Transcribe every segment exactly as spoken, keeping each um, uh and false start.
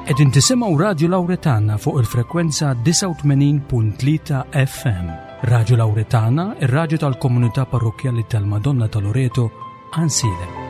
Qegħdin tisimgħu Radju Lawretana fuq il-frekwenza disgħa u tmenin punt tlieta F M. Radju Lawretana, ir-radju tal-komunità parrokkjali tal-Madonna ta' Loreto, Għajnsielem.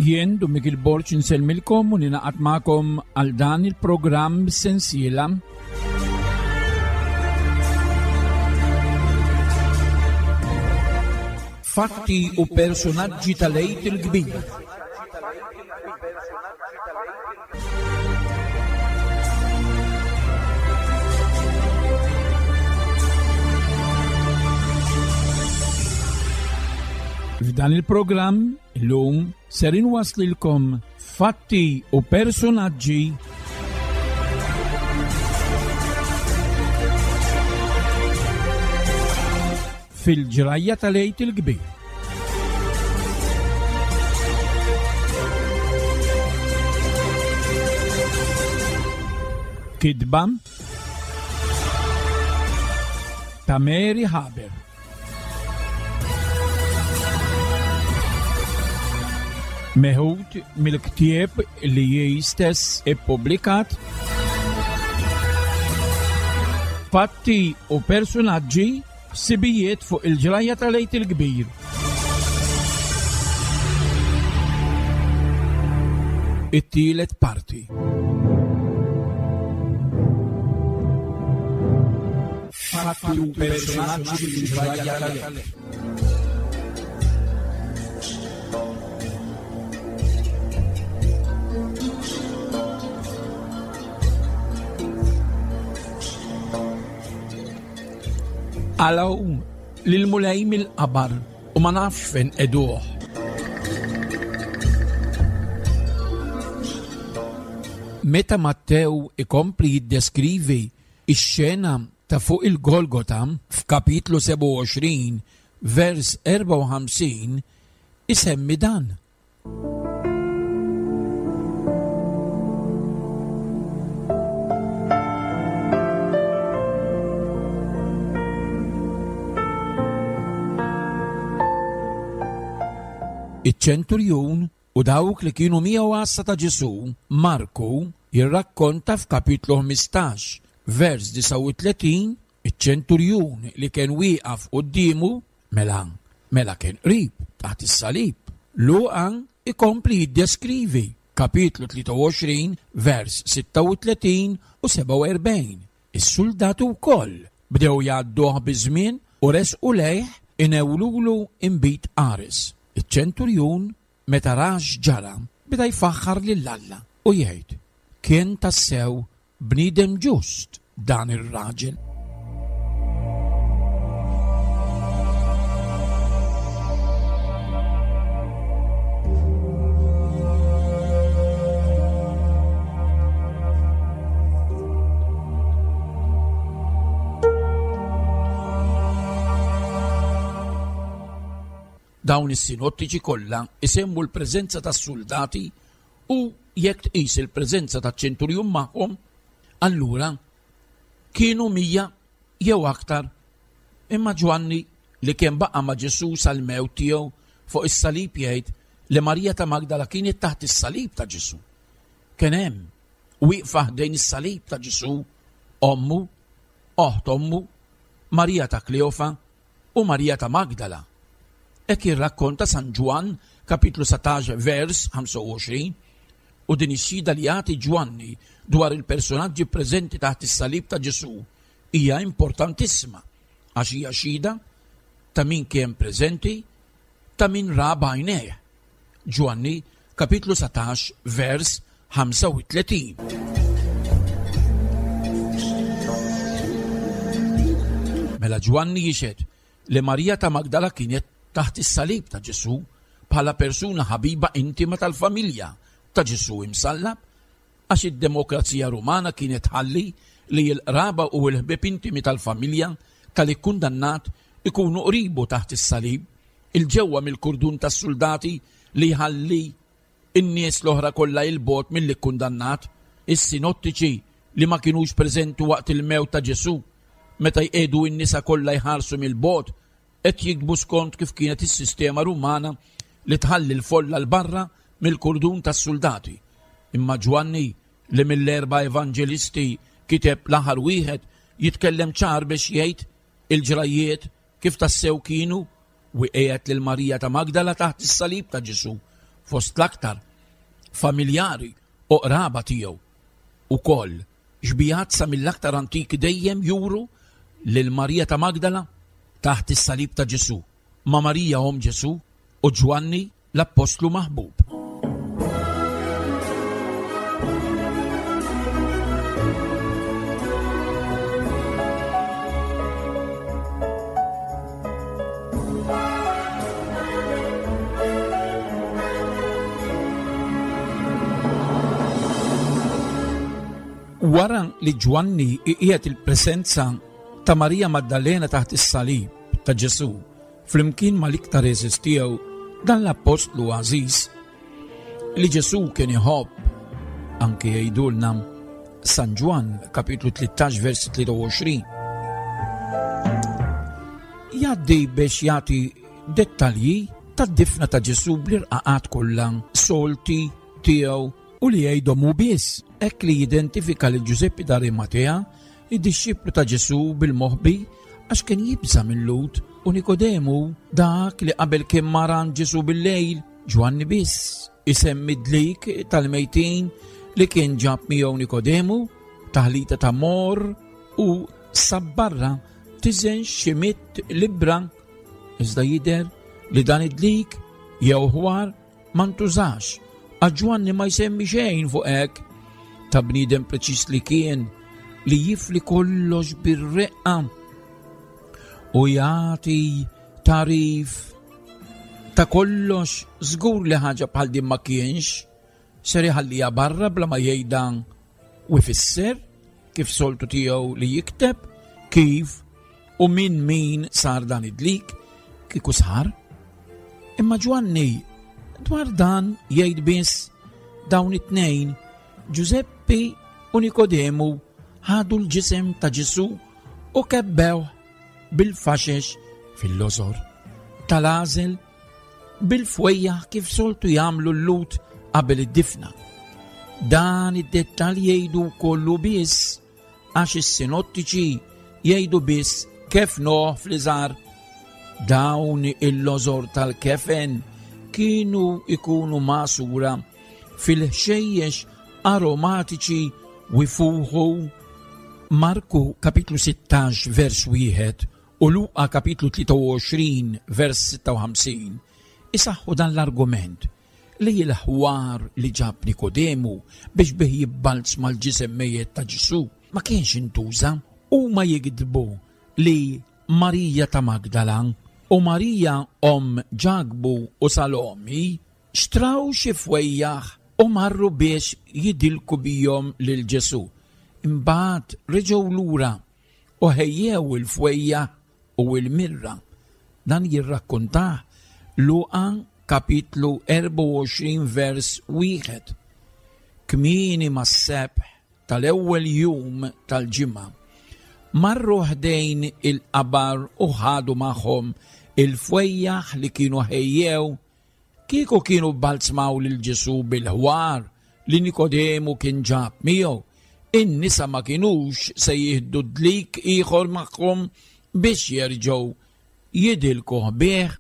Jien Dun Mikiel Borg insellmilkom u ninaqat magħkom għal dan il-programm sensiela Fatti u personaġġi tal-Għid il-Kbir. F'dan il-programm illum ser inwaslilkom fatti u personaġġi fil-ġrajja tal-Għid il-Kbir. Kitba ta' Mary Haber. Meħud mill-ktieb li hi stess ippubblikat Fatti u personaġġi, ħsibijiet fuq il-ġrajja tal-Għid il-Kbir. It-tielet parti. Fatti u personaġġi fil-ġrajja tal-Għid. Għalaw lil-Mulej mill-qabar u ma nafx fejn eduh. Meta Mattew ikompli jiddeskrivi ix-xena ta' fuq il-Golgota f'kapitlu sebgħa u għoxrin vers erbgħa u ħamsin isemmi dan. Iċ-ċenturjun u dawk li kienu miegħu għassa ta' Ġesù, Marku jirrakkonta f'kapitlu ħmistax, vers disgħa u tletin, iċ-ċenturjun li kien wieqaf quddiemu, mela, mela kien qrib taħt is-salib. Luqa ikompli jiddeskrivi kapitlu tlieta u għoxrin, vers sitta u tletin u sebgħa u erbgħin. Is-soldati wkoll bdew jgħadduh biż-żmien u resqu lejh inewlulu inbid qares. Iċ-ċenturjun meta ra x'ġara beda jfaħħar lil Alla u jgħid: kien tassew bniedem ġust dan ir-raġel. Dawn is-sinottiċi kollha isemmu l-preżenza tas-soldati u jekk tqis il-preżenza taċ-ċenturjun magħhom, allura kienu mija jew aktar. Imma Ġwanni li kien baqa' ma' Ġesù sal-mewt tiegħu fuq is-salib jgħid li Marija ta' Magdala kienet taħt is-salib ta' Ġesù. Kien hemm wieqfa ħdejn is-salib ta' Ġesù ommu, oħt ommu, Marija ta' Kleofa u Marija ta' Magdala. Hekk jirrakkonta San Ġwann kapitlu satax vers ħamsa u għoxrin, u din ix-xhieda li jagħti Ġwanni dwar il-personaġġi preżenti taħt is-salib ta' Ġesù hija importantissima għax hija xhieda ta' min kien preżenti, ta' min ra b'għajnejh. Ġwanni kapitlu satax vers ħamsa u tletin. Mela Ġwanni jixhed li Marija ta' Magdala kienet taħt is-salib ta' Ġesù bħala persuna ħabiba intima tal-familja ta' Ġesù imsallab, għax id-demokrazija Rumana kienet ħalli li l-qraba u l-ħbieb intimi tal-familja tal-ikkundannat ikunu qribu taħt is-salib, il-ġewwa mill-kurdun tas-soldati li jħalli in-nies l-oħra kollha il-bogħod mill-ikkundannat. Is-sinottiċi li ma kinux preżenti waqt il-mewt ta' Ġesù, meta jqegħdu n-nisa kollha jħarsu mill-bogħod, qed jiktbu skont kif kienet is-sistema Rumana li tħalli l-folla l-barra mill-kurdun tas-soldati. Imma Ġwanni, li mill-erba' evanġelisti kiteb l-aħħar wieħed, jitkellem ċar biex jgħid il-ġrajiet kif tassew kienu, u qiegħed lil Marija ta' Magdala taħt is-salib ta' Ġesù fost l-aktar familjari u qraba tiegħu. Ukoll xbijat sa mill-aktar antiki dejjem juru lil Marija ta' Magdala taħt is-salib ta' Ġesù, ma' Marija omm Ġesù u Ġwanni l-appostlu maħbub. Wara li Ġwanni qiegħed il-presenza ta' Marija Maddalena taħt is-salib ta' Ġesù flimkien mal-iktar għeżież tiegħu, dan l-appostlu għażiż li Ġesù kien iħobb, anke jgħidulna San Ġwann kapitlu tlettax vers tlieta u għoxrin, jgħaddi biex jagħti dettalji tad-difna ta' Ġesù bl-irqaqat kollha solti tiegħu u li jgħidhom hu biss, hekk li jidentifika lil Ġużeppi d'Arimatea, id-dixxiplu ta' Ġesù bil-moħbi għax kien jibża' mil-Lhud, u Nikodemu, dak li qabel kien mar għand Ġesù bil-lejl. Ġwanni biss isemmi dlik tal-mejtin li kien ġab miegħu Nikodemu, taħlita ta' mor u sabbarra tiżen xi mitt libra, iżda jidher li dan id-dlik jew ħwar ma ntużax, għax Ġwanni ma jsemmi xejn fuq hekk. Ta' bniedem preċiż li kien, li jifli kollox bir-reqqa u jagħti tarif ta' kollox, żgur li ħaġa bħal din ma kienx ser iħalliha barra bla ma jgħidha u jfisser kif soltu tiegħu li jikteb kif u min min sar dan id-dlik kieku sar. Imma Ġwanni dwar dan jgħid biss dawn it-tnejn, Ġużeppi u Nikodemu, ħadu l-ġisem ta' Ġesù u kebbew bil-faxex fil-lożor tal-għażel bil-fwejjaħ kif soltu jagħmlu l-Lhud qabel id-difna. Dan id-dettall jgħidu kollu biss għax is-sinottiċi jgħidu biss kif noħ fl-iżgħar. Dawn il-lożor tal-kefen kienu ikunu magħsura fil-ħxejjex aromatiċi u jfuħu. Marku kapitlu sittax vers wieħed u Luqa kapitlu tlieta u għoxrin vers sitta u ħamsin isaħħu dan l-argument li l-ħwar li ġab Nikodemu biex bih jibbalz mal-ġisem mejjet ta' Ġesù ma kienx intuża. Huma jikdbu li Marija ta' Magdala u Marija omm Ġakbu u Salomi xtraw xi fwejjaħ u marru biex jidilku bihom lil Ġesù. Imbagħad reġgħu lura u ħejjew il-fwejjaħ u l-mirra. Dan jirrakkontah Luqa kapitlu erbgħa u għoxrin vers wieħed. Kmieni mas-sebħ tal-ewwel jum tal-ġimgħa marru ħdejn il-qabar u ħadu magħhom il-fwejjaħ li kienu ħejjew. Kieku kienu balzmaw lil Ġesù bil-ħwar li Nikodemu kien ġab miegħu, in-nisa ma kinux se jieħdu dlik ieħor magħhom biex jerġgħu jidilkuh bih.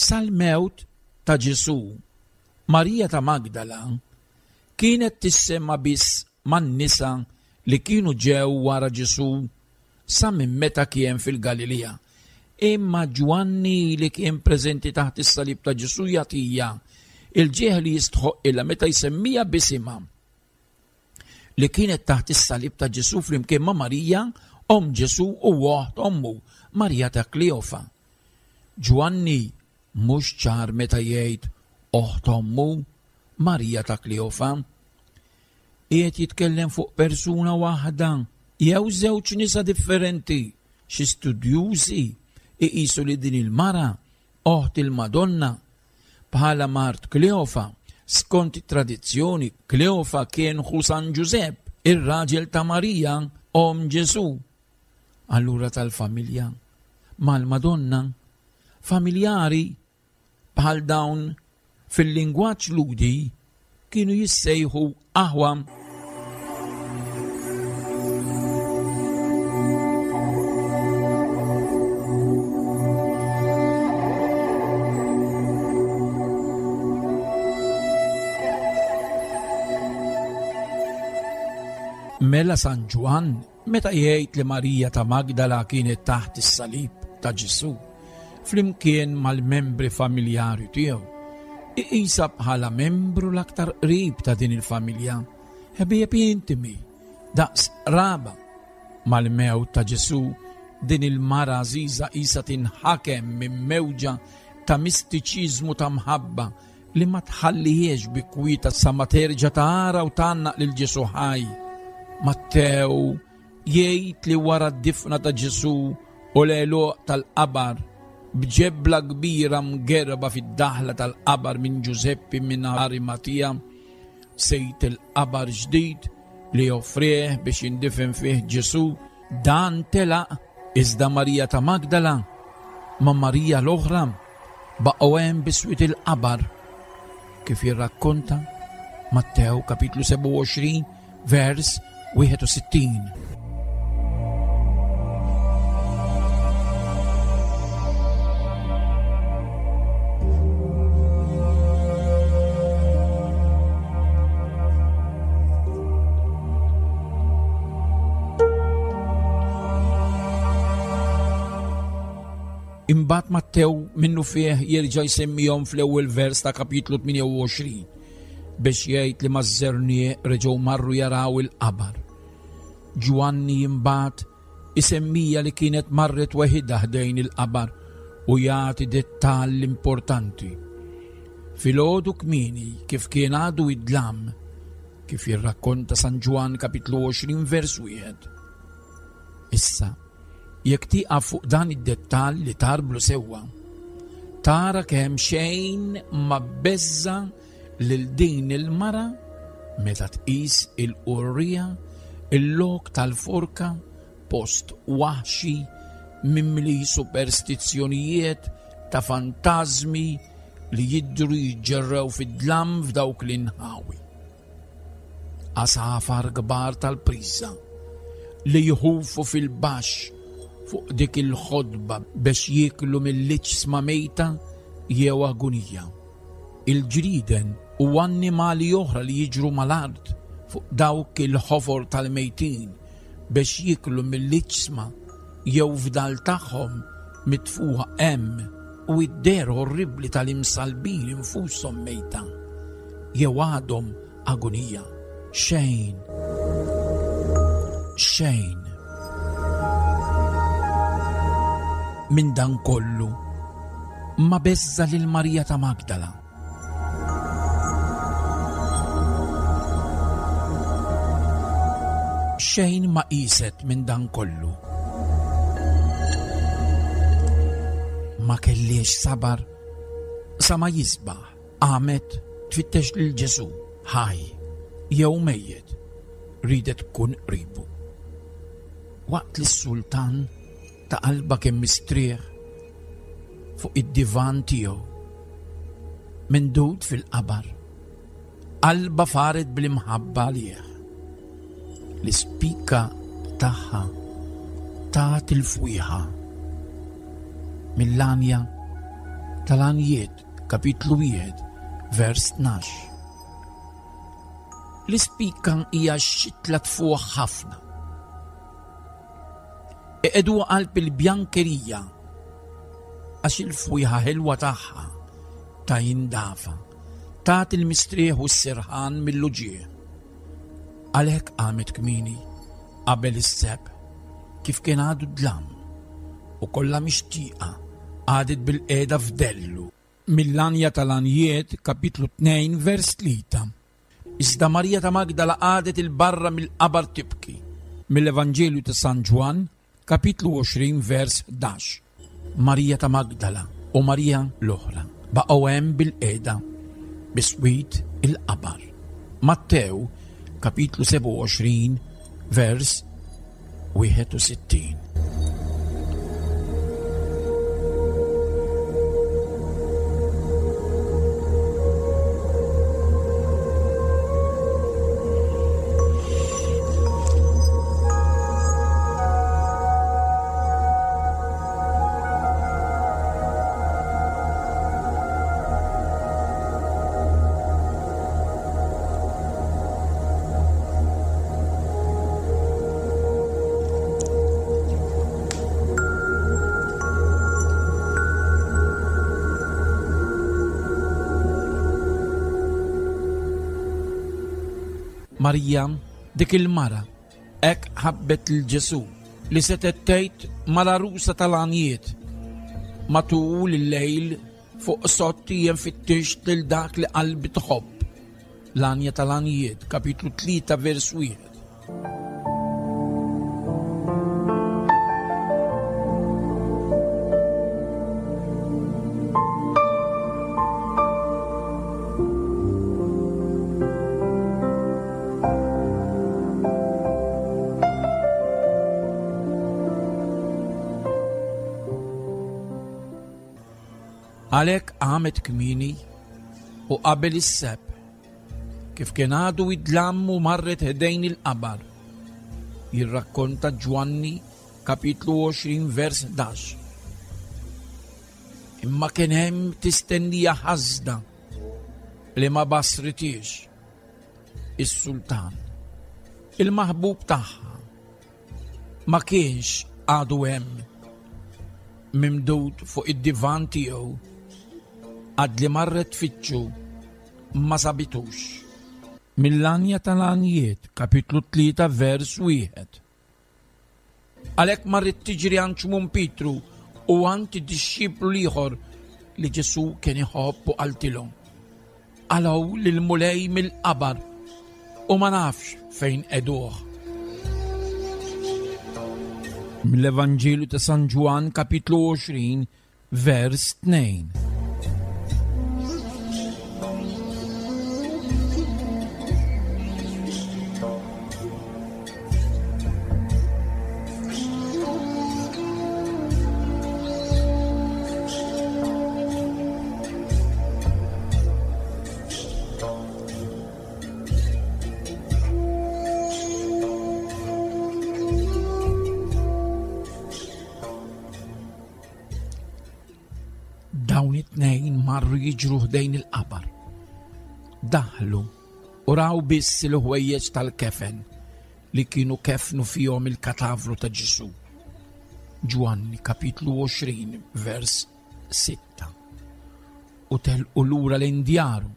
Sal-mewt ta' Ġesù, Marija ta' Magdala kienet tissemma biss man-nisa li kienu ġew wara Ġesù sa minn meta kien fil-Galilea. Imma Ġwanni li kien preżenti taħt is-salib ta' Ġesù jagħtija il-ġieħ li jistħoqqilha meta jsemmija b'isimha li kienet taħt is-salib ta' Ġesù flimkien ma' Marija, omm Ġesù u oħt ommu, Marija ta' Kleofa. Ġwanni mhux ċar meta jgħid oħt ommu, Marija ta' Kleofa. Qiegħed jitkellem fuq persuna waħda jew żewġ nisa differenti. Xi studjużi iqisu li din il-mara oħt il-Madonna bħala mart Kleofa. Skont it-tradizzjoni, Kleofa kien ħu San Ġużepp, ir-raġel ta' Marija, omm Ġesù. Allura tal-familja mal-Madonna, familjari bħal dawn fil-lingwaġġ Lhudi kienu jissejħu aħwa. Mela San Ġwann meta jgħid li Marija ta' Magdala kienet taħt is-salib ta' Ġesù flimkien mal-membri familjari tiegħu, iqisha bħala membru l-aktar qrib ta' din il-familja, ħbieb intimi, daqs raba. Mal-mewt ta' Ġesù din il-mara għażiża qisha tinħakem minn mewġa ta' mistiċiżmu ta' mħabba li ma tħallihiex bi kwieta sa ma terġa' tara u tgħannaq lil Ġesù ħaj. Mattew jgħid li wara d-difna ta' Ġesù u l-għeluq tal-qabar b'ġebla kbira mgerba fid-daħla tal-qabar minn Ġużeppi minn Arimatija, sejt il-qabar ġdid li offrih biex jindifen fih Ġesù, dan telaq iżda Marija ta' Magdala ma' Marija l-oħra baqgħu hemm biswit il-qabar, kif jirrakkonta Mattew kapitlu sebgħa u għoxrin vers wieħed u sittin. Imbagħad Mattew minnu fih jerġa' jsemmihom fl-ewwel vers ta' kapitlu tmienja u għoxrin biex jgħid li maż-żerniq reġgħu marru jaraw il-qabar. Ġwanni imbagħad isemmija li kienet marret weħidha ħdejn il-qabar u jagħti dettall importanti. Filgħodu kmieni kif kien għadu id-dlam, kif jirrakkonta San Ġwann kapitlu għoxrin vers wieħed. Issa, jekk tieqaf fuq dan id-dettall li tarblu sewwa, tara kemm xejn ma beżza lil din il-mara meta tqis il-qurrija, il-lok tal-forka, post waħxi mimli superstizzjonijiet ta' fantażmi li jidhru jiġġerrew fid-dlam f'dawk l-inħawi. Għasafar kbar tal-priża li jħufu fil-baxx fuq dik il-ħodba biex jieklu mill-iġsma mejta jew agunija. Il-ġrieden u annimali oħra li jiġru mal-art fuq dawk il-ħofor tal-mejtin biex jieklu mill-iġsma jew fdal tagħhom mitfuħa hemm, u id-der orribli tal-imsalbin infushom mejta jew għadhom agunija. Xejn, xejn minn dan kollu ma beżza lil Marija ta' Magdala. Xejn ma qiset minn dan kollu. Ma kellix sabar sa ma jisbaħ, qamet tfittex lil Ġesù ħaj jew mejjet, ridet tkun qribu. Waqt li s-sultan ta' qalba kemm mistrieħ fuq id-divan tiegħu, mindud fil-qabar, qalba faret bl-imħabba għalih. L-ispika tagħha tat il-fwieħa mill-għanja tal-Għanjiet, kapitlu wieħed, vers tnax. L-ispika hija xitla tfuħ ħafna. Iqegħduha qalb il-bjankerija Għax il-fwieħa ħelwa tagħha ta' jindafa, tagħti l-mistrieħ u s-serħan mill-uġigħ. Għalhekk qamet kmieni qabel is-sebħ, kif kien għadu dlam, u kollha mixtieqa qagħdet bil-qiegħda f'dellu. Mill-Għanja tal-Għanjiet, kapitlu tnejn, vers tlieta. Iżda Marija ta' Magdala qagħdet il-barra mill-qabar tibki. Mill-Evanġelju ta' San Ġwann, kapitlu għoxrin, vers ħdax. Marija ta' Magdala u Marija l-oħra baqgħu hemm bil-qiegħda biswit il-qabar. Mattew, kapitlu sebgħa u għoxrin, vers wieħed u sittin. Marija, dik il-mara, hekk ħabbet lil Ġesù li setgħet tgħid mal-għarusa tal-għanjiet. Matul il-lejl fuq sotti jien fittixt lil dak li qalbi tħobb. L-Għanja tal-Għanjiet, kapitlu tlieta, vers wieħed. Għalhekk qamet kmieni u qabel is-sebħ, kif kien għadu id-dlam u marret ħdejn il-qabar. Jirrakkonta Ġwanni, kapitlu għoxrin, vers ħdax. Imma kien hemm tistennija ħażna li ma basritiex is-sultan, il-maħbub tagħha, ma kienx għadu hemm mimdud fuq id-divan tiegħu. Għad li marret tfittxu ma sabitux. Mill-Għanja tal-Għanjiet, kapitlu tlieta, vers wieħed. Għalhekk marret tiġri għand Xmun Pietru u għand id-dixxiplu l-ieħor li Ġesù kien iħobb u qaltilhom: Qalgħu lill-Mulej mill-qabar u ma nafx fejn qegħduh. Mill-Evanġelju ta' San Ġwann, kapitlu għoxrin, vers tnejn. Dawn it-tnejn marru jiġru ħdejn il-qabar. Daħlu u raw biss il-ħwejjeġ tal-kefen li kienu kefnu fihom il-katavru ta' Ġesù. Ġwanni kapitlu għoxrin, vers sitta. U telqu lura lejn djaru.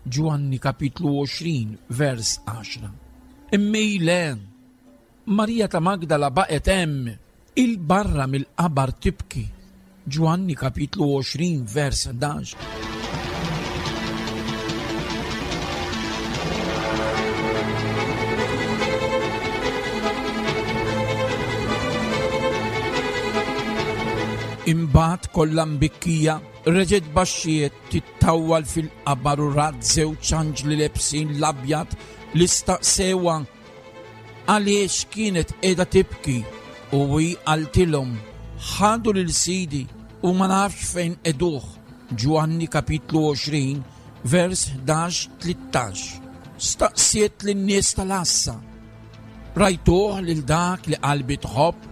Ġwanni kapitlu għoxrin, vers għaxra. Imma le, Marija ta' Magdala baqgħet hemm il-barra mill-qabar tibki. Ġwanni kapitlu għoxrin, vers ħdax. Imbagħad kollha mbikkija reġgħet baxxiet tittawwal fil-qabar u rat żewġ anġli lebsin l-abjad li staqsewha għaliex kienet qiegħda tibki, u hi qaltilhom: Ħadu lil Sidi u ma nafx fejn qegħduh. Ġwanni kapitlu għoxrin, vers ħdax tlittax. Staqsiet lin-nies tal-għassa: Rajtuh lil dak li qalbi tħobb?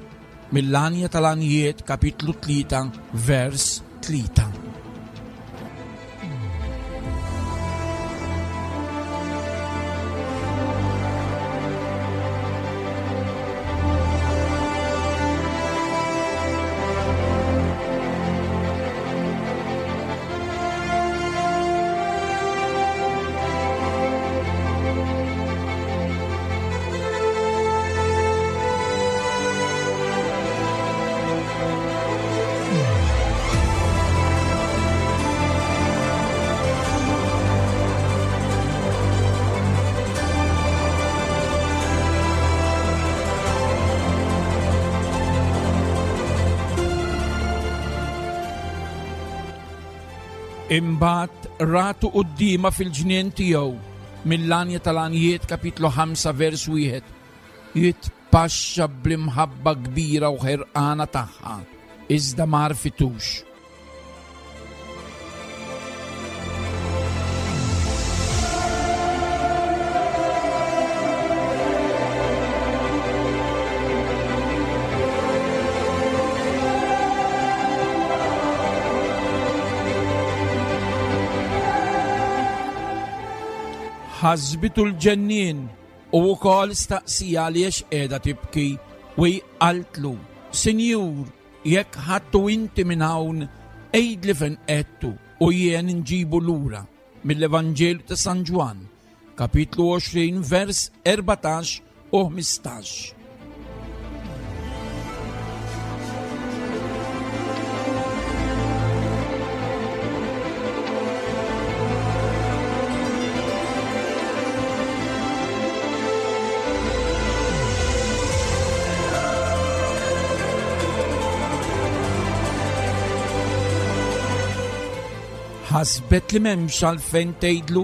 Mill-Għanja tal-Għanjiet, kapitlu tlieta, vers tlieta. Imbagħad ratu quddiemha fil-ġnien tiegħu mill-Għanja tal-Għanjiet kapitlu ħamsa vers wieħed jitpaxxa bl-imħabba kbira u ħerqana tagħha, iżda ma għarfitux. Ħasbitu l-ġennien u wkoll staqsija għaliex qiegħda tibki u qaltlu, Sinjur, jekk ħadtu inti minn hawn, għidli fejn qedtu u jien nġibu lura. Mill-Evanġelju ta' San Ġwann, kapitlu għoxrin, vers erbatax u ħmistax. Ħasbet li m'hemmx għalfejn tgħidlu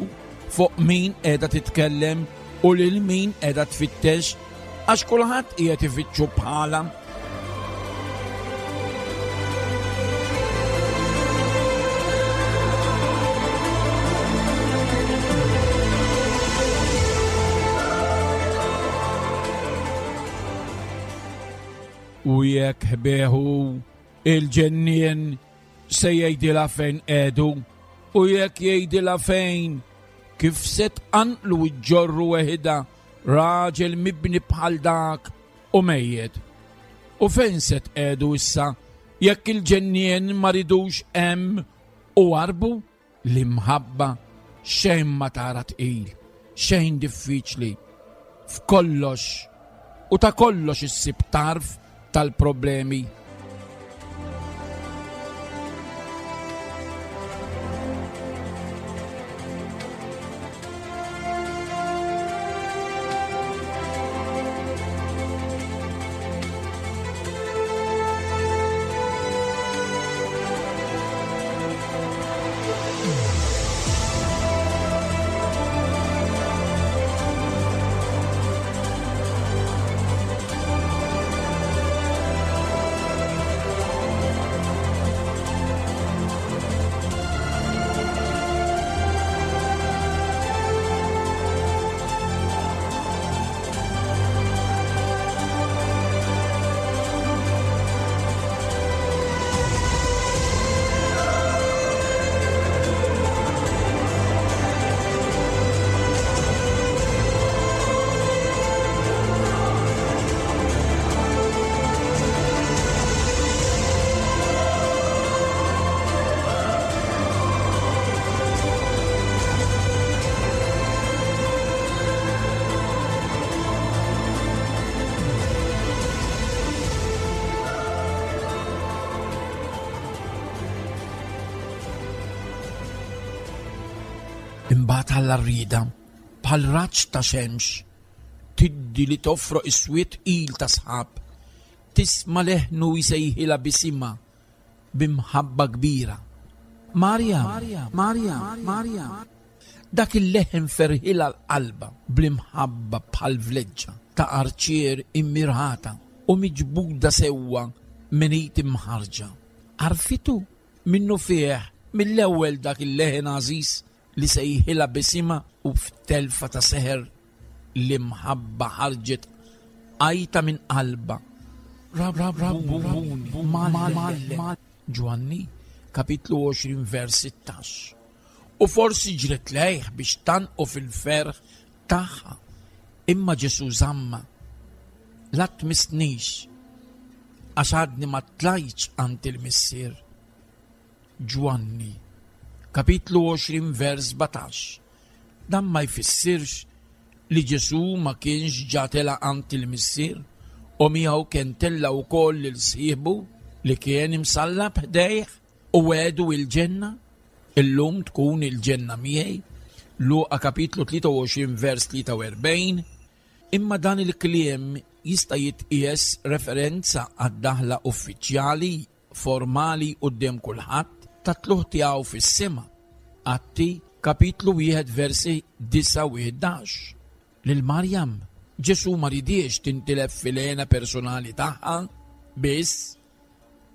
fuq min qiegħda titkellem u lil min qiegħda tfittex, għax kulħadd qiegħed ifittxu bħala. U jekk ħbeħu il-ġennien se jgħidilha fejn qiegħdu, u jekk jgħidilha fejn, kif se tqanqlu ġġorru weħida raġel mibni bħal dak u mejjed. U fejn se tqiegħdu issa jekk il-ġennien ma ridux hemm u warbu? L-imħabba xejn ma tara tqil, xejn diffiċli, f'kollox u ta' kollox issib tarf tal-problemi. Imbagħad Alla rrieda bħal raġġ ta' xemx tiddi li toffroq is-swied il ta' sħab, tisma' leħnu jsejħilha bisimha b'imħabba kbira. Marja, Marja, Marja. Dak il-leħen ferħilha l-qalba bl-imħabba bħal vleġġa ta' arċier immirħata u miġbuda sewwa minn id imħarġa. Għarfitu minnu fih mill-ewwel dak il-leħen għażiż li sejħilha bisimha, u f'telfa ta' seħer l-imħabba ħarġet għajta minn qalba. Rab, rab, rab, Ġwanni, kapitlu għoxrin vers sittax. U forsi ġret lejh biex tanqu fil-ferħ tagħha, imma Ġesu żamma. La tmissnix, għax għadni ma tlajtx għand il-Missier. Ġwanni, kapitlu għoxrin vers sbatax. Dan ma jfissirx li Ġesu ma kienx ġa tela' għand il-Missier u miegħu kien tella' wkoll lil sieħbu li kien imsallab ħdejh u għedu il-ġenna. Illum tkun il-ġenna miegħi. Luqa kapitlu tlieta u għoxrin vers tlieta u erbgħin. Imma dan il-kliem jista' jitqies referenza għad-daħla uffiċjali formali quddiem kulħadd ta' tluħ tiegħu fis-sema. Atti kapitlu wieħed versi disgħa u ħdax. Lil Marjam Ġesù ma ridiex tintilef fil-hena personali tagħha biss,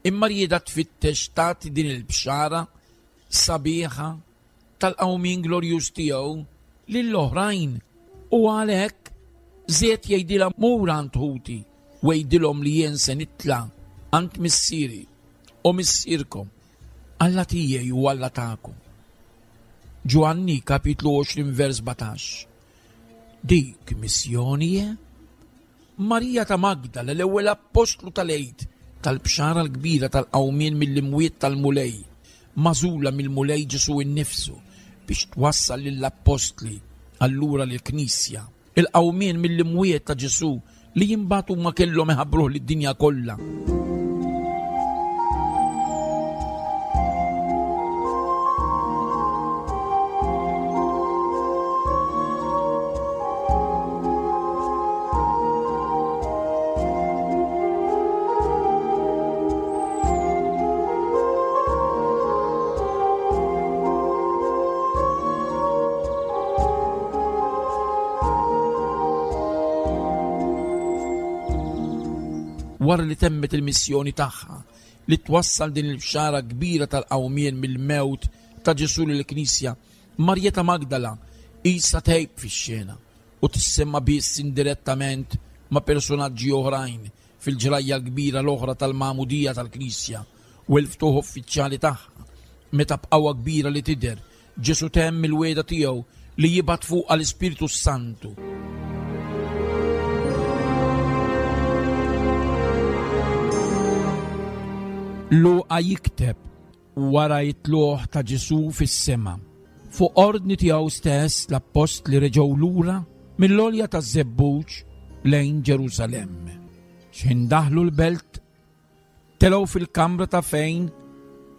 imma rieda tfittex tagħti din il-bxara sabiħa tal-qawmien glorjuż tiegħu lill-oħrajn. U għalhekk żied jgħidilha mur għand ħuti u għidilhom li jien se nitla' għand missieri u missierkom, Alla tiegħi u Alla tagħkom. Ġwanni kapitlu għoxrin vers sbatax. Dik missjoni je? Marija ta' Magdala, l-ewwel appostlu tal-Għid, tal-bxara l-kbira tal-qawmien mill-imwiet tal-Mulej, magħżula mill-Mulej Ġesù innifsu biex twassal lill-appostli allura lill-Knisja. Il-qawmien mill-imwiet ta' Ġesù li jimbagħad huma kellhom iħabbruh lid-dinja kollha. Wara li temmet il-missjoni tagħha li twassal din il-bxara kbira tal-qawmien mill-mewt ta' Ġesù lill-Knisja, Marija ta' Magdala qisha tgħib fix-xena u tissemma biss indirettament ma' personaġġi oħrajn fil-ġrajja l-kbira l-oħra tal-magħmudija tal-Knisja u l-ftuħ uffiċjali tagħha, meta b'qawwa kbira li tidher Ġesù temm il-wegħda tiegħu li jibgħat fuqha l-Ispirtu Santu. Luqa jikteb wara it-tluq ta' Ġesù fis-sema. Fuq ordni tiegħu stess l-appostli reġgħu lura mill-għolja taż-Żebbuġ lejn Ġerusalemm. X'ħin daħlu l-belt telgħu fil-kamra ta' fejn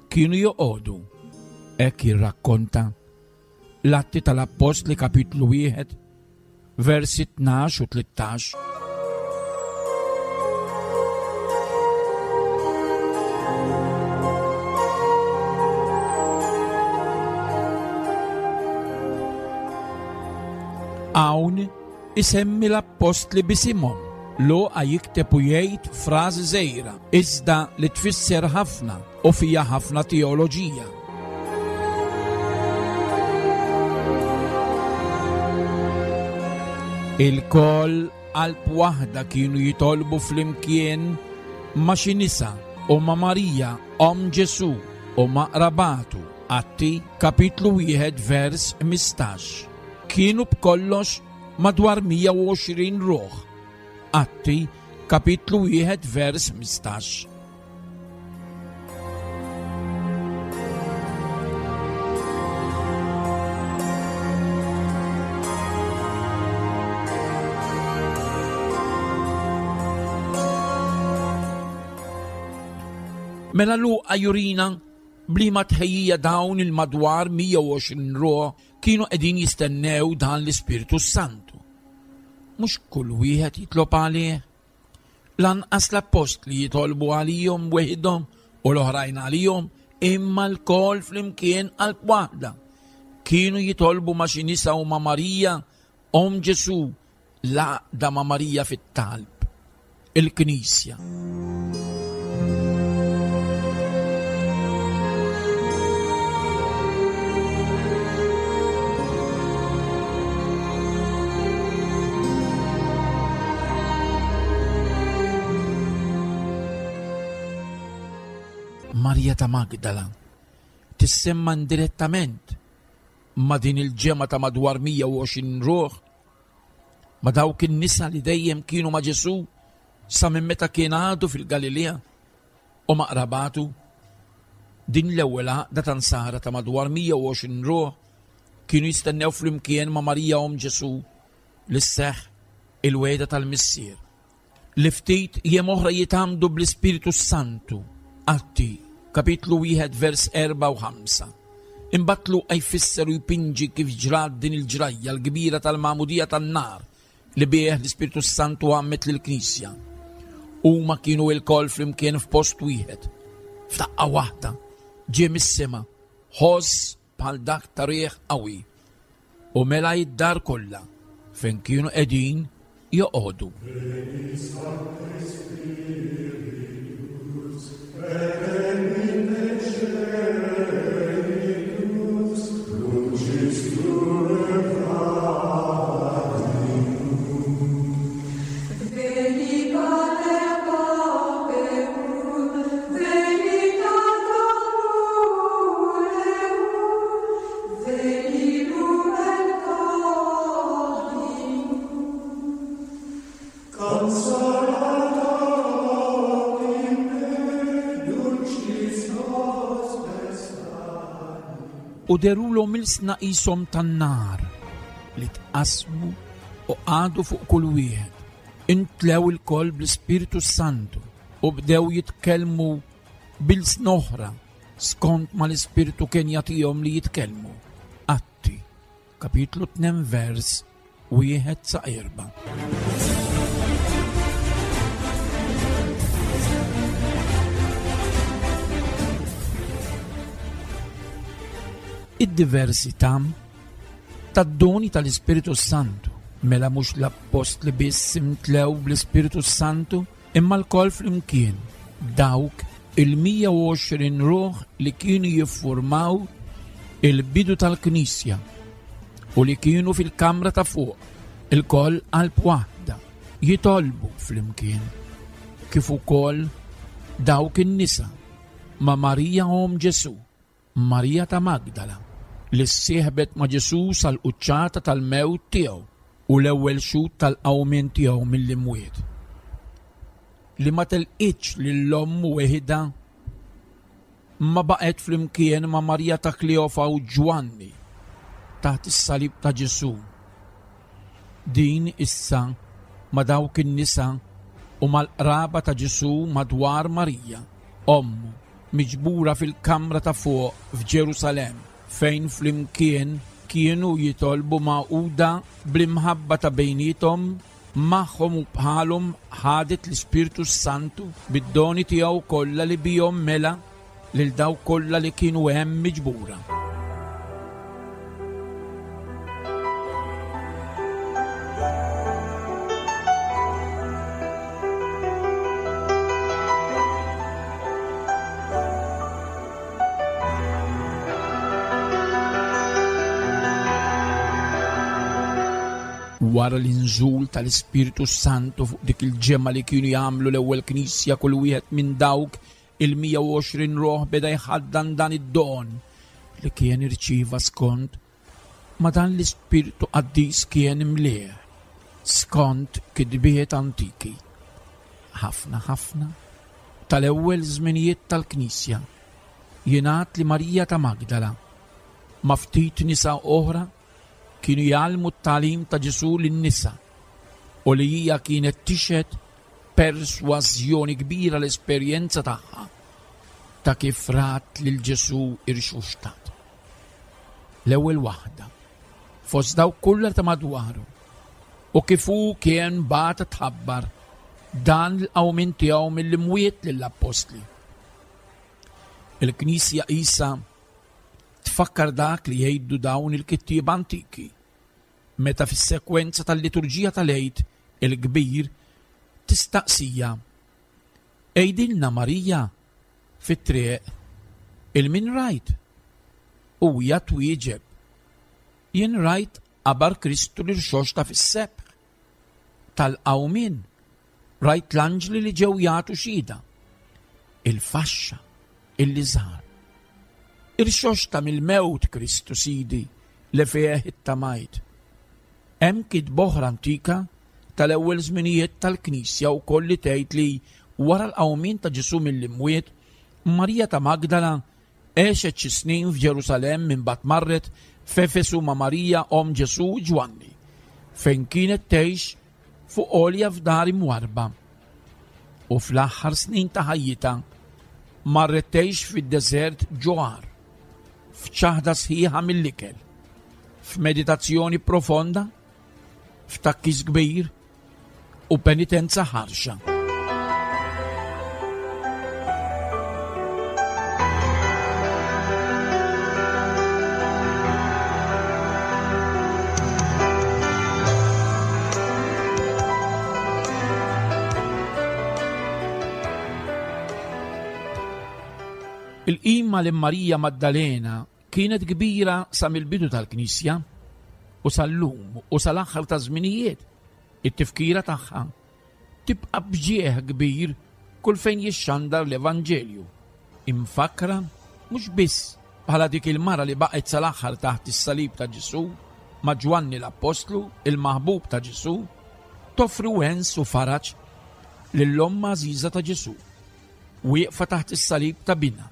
kienu joqogħdu. Hekk jirrakkonta l-Atti tal-Appostli kapitlu wieħed versi tnax u tlettax. Hawn isemmi l-appostli bisimhom. Luqa jikteb u jgħid frażi żgħira, iżda li tfisser ħafna u fiha ħafna teoloġija. Il-koll qalb waħda kienu jitolbu flimkien ma' xi nisa u ma' Marija omm Ġesù u ma' qrabatu. Atti kapitlu wieħed vers ħmistax. Kienu b'kollox madwar mija u għoxrin ruħ. Atti kapitlu wieħed vers ħmistax. Mela Luqa jurina bliema tħejjija dawn il-madwar mija u għoxrin ruħ kienu qegħdin jistennew dan l-Ispirtu Santu. Mhux kull wieħed jitlob għalih. Lanqas l-appostli jitolbu għalihom weħidhom u l-oħrajn għalihom, imma lkoll flimkien qalb waħda. Kienu jitolbu ma' xi nisa u ma' Marija, omm Ġesù, l-għaqda ma' Marija fit-talb, il-Knisja. Marija ta' Magdala tissemma indirettament ma' din il-ġemgħa ta' madwar mija u għoxrin ruħ, ma' dawk in-nisa li dejjem kienu ma' Ġesù sa minn meta kien għadu fil-Galilea u ma' qrabatu. Din l-ewwel għaqda ta' nsara ta' madwar mija u għoxrin ruħ kienu jistennew flimkien ma' Marija omm Ġesù li sseħħ il-wegħda tal-Missier li ftit jiem oħra jitgħammdu bl-Ispirtu Santu. Atti kapitlu wieħed vers erba' u ħamsa. Imbagħad Luqa jfisser u jpinġi kif ġrat din il-ġrajja l-kbira tal-magħmudija tan-nar li bih l-Ispirtu Santu għammet lill-Knisja. Huma kienu lkoll flimkien f'post wieħed. F'daqqa waħda ġie mis-sema ħoss bħal dak ta' riħ qawwi u mela id-dar kollha fejn kienu qegħdin joqogħdu. U derulhom ilsna qishom tan-nar li tqasmu u qagħdu fuq kull wieħed. Intlew ilkoll bl-Ispirtu Santu u bdew jitkellmu b'ilsna oħra skont ma l-Ispirtu kien jagħtihom li jitkellmu. Atti, kapitlu tnejn vers wieħed sa erba'. Id-diversità tad-doni tal-Ispirtu Santu, mela mhux l-appostli biss imtlew bl-Ispirtu Santu, imma lkoll flimkien dawk il-mija u għoxrin ruħ li kienu jiffurmaw il-bidu tal-Knisja u li kienu fil-kamra ta' fuq ilkoll qalb waħda jitolbu flimkien, kif ukoll dawk in-nisa ma' Marija omm Ġesù, Marija ta' Magdala, li ssieħbet ma' Ġesù sal-quċċata tal-mewt tiegħu u l-ewwel xhud tal-qawmien tiegħu mill-imwiet, li ma telqitx lil ommu weħidha ma baqgħet flimkien ma' Marija ta' Kleofa u Ġwanni taħt is-salib ta' Ġesù. Din issa ma' dawk in-nisa u mal-qraba ta' Ġesù madwar Marija, ommu, miġbura fil-kamra ta' fuq f'Ġerusalemm, fejn flimkien kienu jitolbu magħquda bl-imħabba ta' bejniethom, magħhom u bħalhom ħadet l-Ispirtu Santu bid-doni tiegħu kollha li bihom mela lil dawk kollha li kienu hemm miġbura. Wara l-inżul tal-Ispirtu Santu fuq dik il-ġemgħa li kienu jagħmlu l-ewwel knisja, kull wieħed minn dawk il-mija u għoxrin ruħ beda jħaddan dan id-don li kien irċieva skont ma dan l-Ispirtu Qaddis kien imlieh skont kitbiet antiki. Ħafna ħafna tal-ewwel żminijiet tal-Knisja jingħad li Marija ta' Magdala ma' ftit nisa oħra kienu jgħallmu t-tagħlim ta' Ġesù lin-nisa u li hija kienet tixhed persważjoni kbira l-esperjenza tagħha ta' kif rat lil Ġesù irxuxtat. L-ewwel waħda fost dawk kollha ta' madwaru u kif hu kien bagħat tħabbar dan l-qawmien tiegħu mill-imwiet lill-appostli. Il-Knisja qisha tfakkar dak li jgħidu dawn il-kittieba antiki meta fis-sekwenza tal-liturġija tal-Għid il-Kbir tistaqsija: Għidilna Marija fit-triq il-min rajt? U hija twieġeb: Jien rajt qabar Kristu li rxoxta fis-sebħ tal-qawmien, rajt l-anġli li ġew jagħtu xhieda, il-faxxa illi żar. Irxoxta mill-mewt Kristu Sidi li fih ittamajt. Hemm kitba oħra antika tal-ewwel żminijiet tal-Knisja wkoll li tgħid li wara l-qawmien ta' Ġesù mill-imwiet, Marija ta' Magdala għexet xi snin f'Ġerusalemm imbagħad marret f'Efesu ma' Marija omm Ġesù u Ġwanni, fejn kienet tgħix fuq għolja f'dar imwarba. U fl-aħħar snin ta' ħajjitha marret tgħix fid-deżert ġo għar, f'ċaħda sħiħa mill-ikel, f'meditazzjoni profonda, f'takkis kbir u penitenza ħarxa. Il-qima lil Marija Maddalena kienet kbira sa mill-bidu tal-Knisja u sal-lum u sal-aħħar ta' żminijiet. It-tifkira tagħha tibqa' bġieħ kbir kull fejn jixxandar l-Evanġelju. Imfakra mhux biss bħala dik il-mara li baqgħet sal-aħħar taħt is-salib ta' Ġesù ma' Ġwanni l-Appostlu, il-maħbub ta' Ġesù, toffri wens u faraġ lill-omm għażiża ta' Ġesù, wieqfa taħt is-salib ta' binha.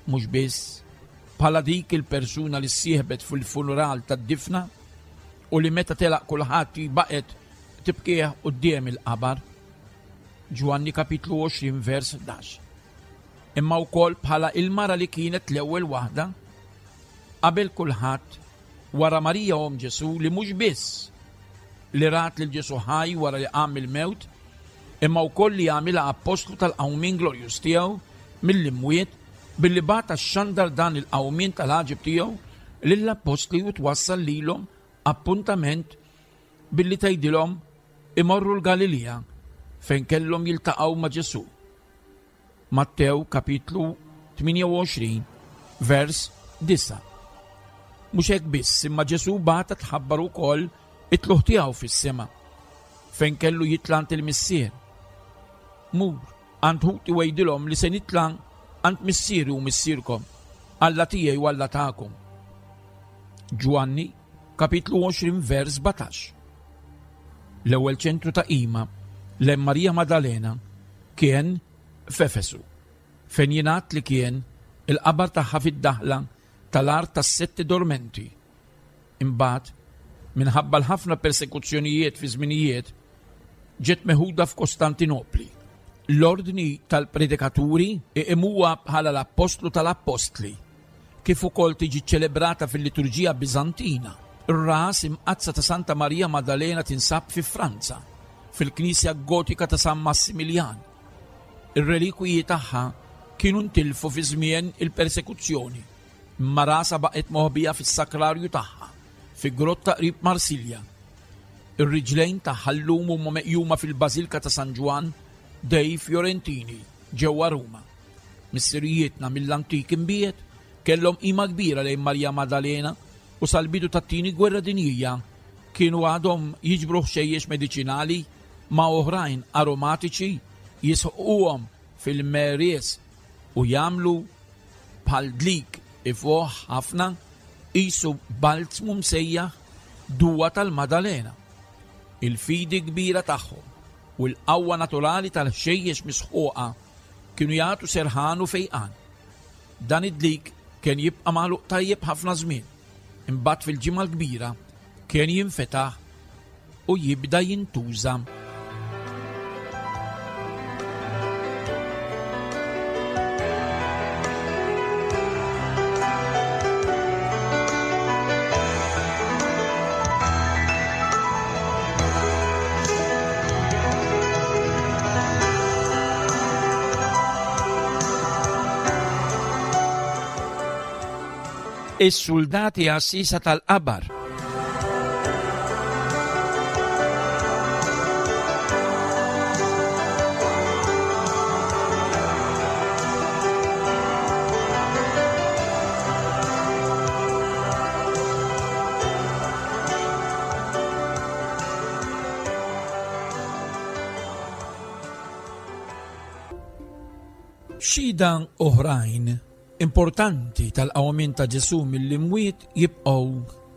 Mhux biss bħala dik il-persuna li ssieħbet fil-funeral tad-difna u li meta telaq kulħadd baqgħet tibkih quddiem il-qabar. Ġwanni kapitlu għoxrin vers ħdax. Imma wkoll bħala il-mara li kienet l-ewwel waħda qabel kulħadd wara Marija omm Ġesù, li mhux biss li rat lil Ġesù ħaj wara li qam mill-mewt, imma wkoll li għamilha appostlu tal-qawmien glorjuż tiegħu mill-imwiet billi bagħat xandar dan il-qawmien tal-għaġeb tiegħu lill-appostli u twassal lilhom appuntament billi tgħidilhom imorru l-Galilija fejn kellhom jiltaqgħu ma' Ġesù. Mattew kapitlu tmienja u għoxrin vers disa'. Mhux hekk biss, imma Ġesù bagħatha tħabbar ukoll it-tluq tiegħu fis-sema fejn kellu jitla' għand il-Missier. Mur għand ħuti u għidilhom li se nitla' għand missieri u missierkom, Alla tiegħi u Alla tagħkom. Ġwanni kapitlu għoxrin vers sbatax. L-ewwel ċentru ta' qima lejn Marija Maddalena kien f'Efesu, fejn jingħad li kien il-qabar tagħha fid-daħla tal-art tas-Setti Dormenti. Imbagħad, minħabba l-ħafna persekuzzjonijiet fi żminijiet, ġiet meħuda f'Kostantinopli. L-ordni tal-predikaturi iqimuha bħala l-appostlu tal-appostli, kif ukoll tiġi ċelebrata fil-liturġija Biżantina. Ir-ras imqaddsa ta' Santa Marija Maddalena tinsab fi Franza, fil-Knisja Gotika ta' San Massimiljan. Ir-relikwiji tagħha kienu ntilfu fi żmien il-persekuzzjoni, imma rasha baqgħet moħbija fis-sakrarju tagħha, fi grotta qrib Marsilja. Ir-riġlejn tagħha llum huma meqjuma fil-Bażilka ta' San Ġwann dei Fiorentini ġewwa Ruma. Missirijietna mill-antik imbiet kellhom qima kbira lejn Marija Maddalena u sal-bidu tat-tieni gwerra dinjija kienu għadhom jiġbru ħxejjex mediċinali ma' oħrajn aromatiċi, jisħquhom fil-meries u jagħmlu bħal dlik ifoħ ħafna qisu balzmu msejjaħ duwa tal-Maddalena. Il-fidi kbira tagħhom u l-qawwa naturali tal-ħxejjex misħuqa kienu jagħtu serħan u fejqan. Dan id-dlik kien jibqa' magħluq tajjeb ħafna żmien, imbagħad fil-ġimgħa l-kbira kien jinfetaħ u jibda jintuża. Is-soldati għassisa tal-qabar. Xhieda oħrajn importanti tal-qawmien ta' Ġesù mill-imwiet jibqgħu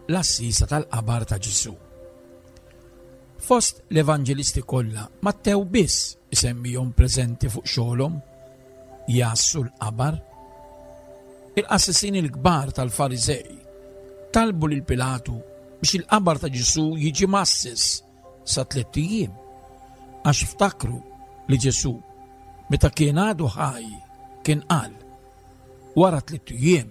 l-assisa tal-qabar ta' Ġesù. Fost l-evanġelisti kollha, Mattew biss isemmihom preżenti fuq xogħolhom jgħassu l-qabar. Il-qassisin il-kbar tal-Fariżej talbu lil Pilatu biex il-qabar ta' Ġesù jiġi massis sa tliet ijiem, għax ftakru li Ġesù meta kien għadu ħaj kien qal: wara tliet ijiem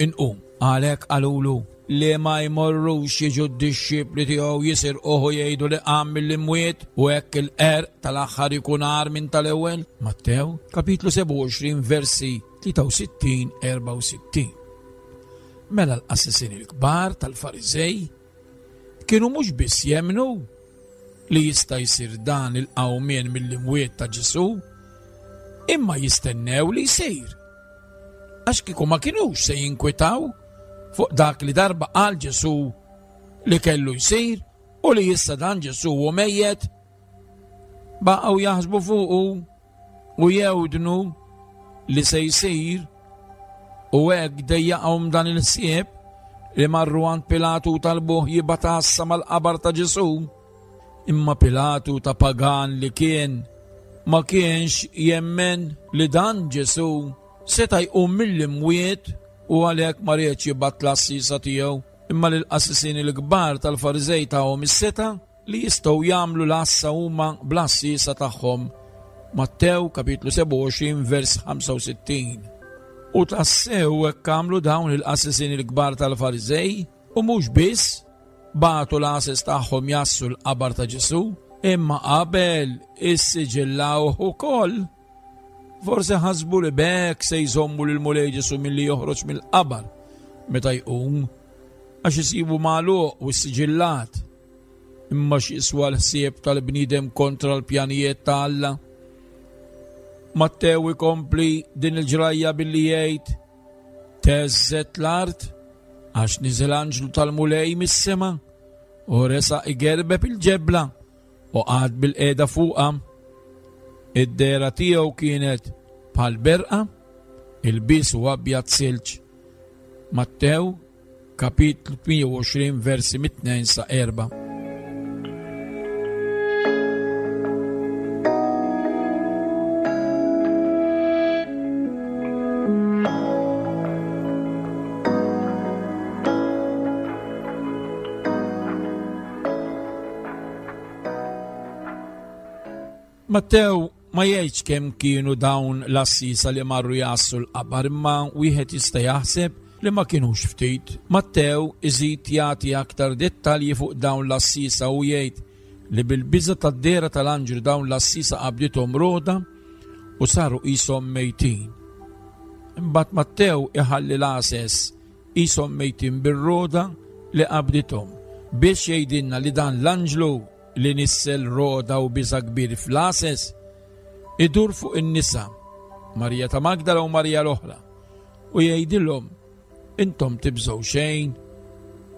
inqum. Għalhekk qalulu li ma jmorrux jiġu d-dixxipli tiegħu jisirquh u jgħidu li qam mill-imwiet, u hekk il-qerq tal-aħħar ikun agħar minn tal-ewwel. Mattew kapitlu sebgħa u għoxrin versi tlieta u sittin, erba' u sittin. Mela l-qassisin il-kbar tal-Fariżej kienu mhux biss jemmnu li jista' jsir dan il-qawmien mill-imwiet ta' Ġesù, imma jistennew li jsir. Għax kieku ma kinux se jinkwetaw fuq dak li darba qal Ġesù li kellu jsir u li issa dan Ġesù hu mejjet. Baqgħu jaħsbu fuqu u jewdnu li se jsir, u hekk dejjaqhom dan il-ħsieb li marru għand Pilatu u talbuh jibgħat għassa mal-qabar ta' Ġesù. Imma Pilatu ta' pagan li kien ma kienx jemmen li dan Ġesù seta' jqum mill-imwiet, u għalhekk ma riedx jibgħat l-għassiesa tiegħu, imma lill-qassisin il-kbar tal-Fariżej tagħhom is-seta' li jistgħu jagħmlu l-għassa huma bl-għassiesa tagħhom. Mattew kapitlu sebgħa u għoxrin vers ħamsa u sittin. U tassew hekk għamlu dawn il-qassisin il-kbar tal-Fariżej, u mhux biss bagħtu l-għases tagħhom jassu l-qabar ta' Ġesù, imma qabel issiġillawh ukoll. Forsi ħasbu li b'hekk se jżommu lil Mulej Ġesù milli joħroġ mill-qabar meta jqum, għax isibu magħluq u ssiġillat. Imma x'jiswa l-ħsieb tal-bniedem kontra l-pjanijiet ta' Alla? Mattew ikompli din il-ġrajja billi jgħid: teżżet l-art għax niżel anġlu tal-Mulej mis-sema u resaq igerbeb il-ġebla u qagħad bil-qiegħda fuqha. Id-dehra tiegħu kienet bħal berqa, il-bies u abjad silġ. Mattew kapitlu tmienja u għoxrin versi mit-tnejn sa erba'. Mattew ma jgħidx kemm kienu dawn l-għassiesa li marru jgħassu l-qabar, imma wieħed jista' jaħseb li ma kienux ftit. Mattew iżid jagħti aktar dettalji fuq dawn l-għassiesa u jgħid li bil-biża' tad-dehra tal-anġlu dawn l-għassiesa qabdithom roda u saru qishom mejtin. Imbagħad Mattew iħalli l-għases qishom mejtin bir-roda li qabdithom biex jgħidilna li dan l-anġlu li nissel roda u biża' kbir fl-għases idur fuq in-nisa, Marija ta' Magdala u Marija l-oħra, u jgħidilhom: intom tibżgħu xejn,